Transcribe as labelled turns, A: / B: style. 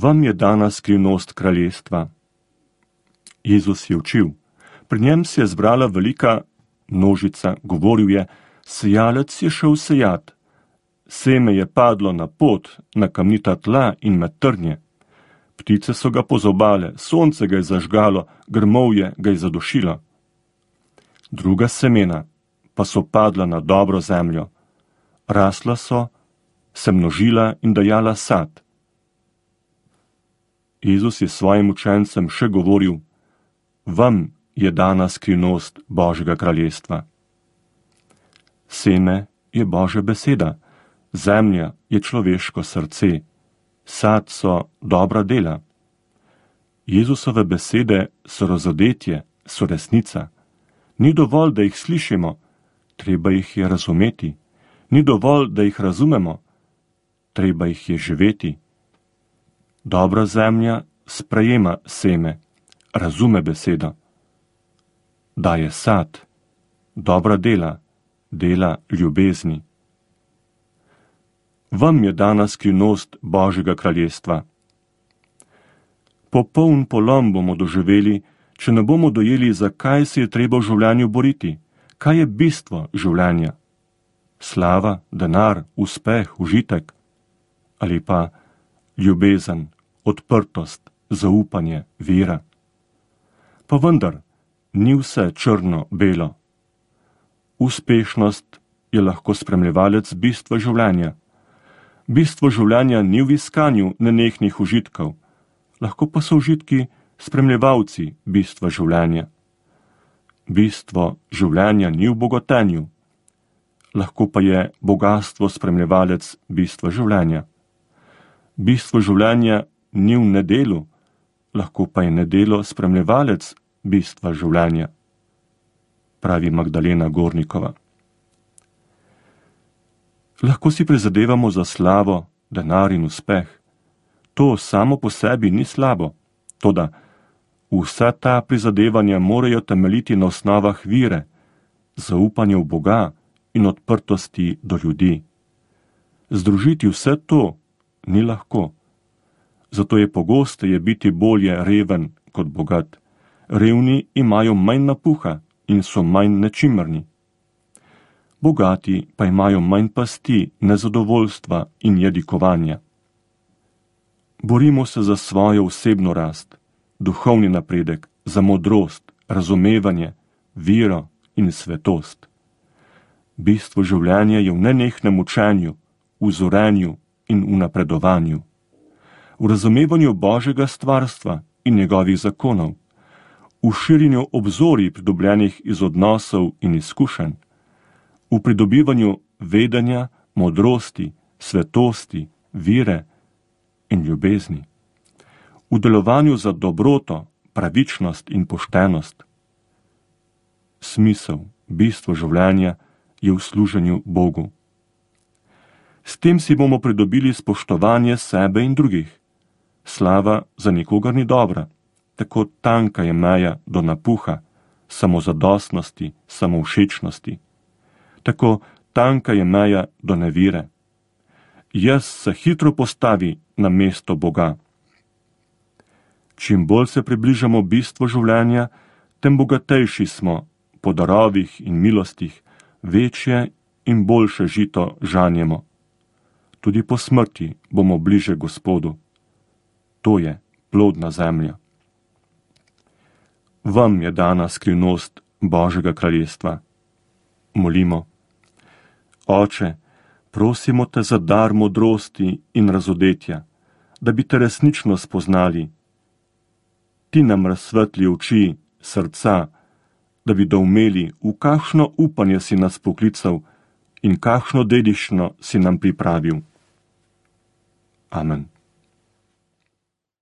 A: Vam je dana skrivnost kraljestva. Jezus je učil. Pri njem se je zbrala velika množica, govoril je, sejalec je šel sejat. Seme je padlo na pot, na kamnita tla in med trnje. Ptice so ga pozobale, sonce ga je zažgalo, grmovje ga je zadušilo. Druga semena pa so padla na dobro zemljo. Rasla so, se množila in dajala sad. Jezus je svojim učencem še govoril, vam je dana skrivnost Božjega kraljestva. Seme je Božja beseda, zemlja je človeško srce, sad so dobra dela. Jezusove besede so razodetje, so resnica. Ni dovolj, da jih slišimo, treba jih je razumeti. Ni dovolj, da jih razumemo, treba jih je živeti. Dobra zemlja sprejema seme, razume besedo. Daje sad, dobra dela, dela ljubezni. Vam je dana skrivnost Božjega kraljestva. Popoln polom bomo doživeli, če ne bomo dojeli, zakaj se je treba v življenju boriti, kaj je bistvo življenja. Slava, denar, uspeh, užitek ali pa ljubezen, odprtost, zaupanje, vera. Pa vendar, ni vse črno-belo. Uspešnost je lahko spremljevalec bistva življenja. Bistvo življenja ni v iskanju nenehnih užitkov, lahko pa so užitki spremljevalci bistva življenja. Bistvo življenja ni v bogatenju, lahko pa je bogastvo spremljevalec bistva življenja. Bistvo življenja ni v nedelu, lahko pa je nedelo spremljevalec bistva življenja, pravi Magdalena Gornikova. Lahko si prizadevamo za slavo, denar in uspeh. To samo po sebi ni slabo, toda vsa ta prizadevanja morajo temeljiti na osnovah vere, zaupanja v Boga in odprtosti do ljudi. Združiti vse to ni lahko. Zato je pogosteje biti bolje reven kot bogat. Revni imajo manj napuha in so manj nečimrni. Bogati pa imajo manj pasti, nezadovoljstva in jadikovanja. Borimo se za svojo osebno rast, duhovni napredek, za modrost, razumevanje, vero in svetost. Bistvo življenja je v nenehnem učenju, v zorenju in v napredovanju. V razumevanju Božjega stvarstva in njegovih zakonov, v širjenju obzorij pridobljenih iz odnosov in izkušenj, v pridobivanju vedenja, modrosti, svetosti, vire in ljubezni, v delovanju za dobroto, pravičnost in poštenost. Smisel, bistvo življenja je v služenju Bogu. S tem si bomo pridobili spoštovanje sebe in drugih. Slava za nikogar ni dobra, tako tanka je meja do napuha, samozadostnosti, samovšečnosti. Tako tanka je meja do nevire. Jaz se hitro postavi na mesto Boga. Čim bolj se približamo bistvu življenja, tem bogatejši smo po darovih in milostih, večje in boljše žito žanjemo. Tudi po smrti bomo bliže Gospodu. To je plodna zemlja. Vam je dana skrivnost Božjega kraljestva. Molimo. Oče, prosimo te za dar modrosti in razodetja, da bi te resnično spoznali. Ti nam razsvetli oči, srca, da bi doumeli, v kakšno upanje si nas poklical in kakšno dediščino si nam pripravil. Amen.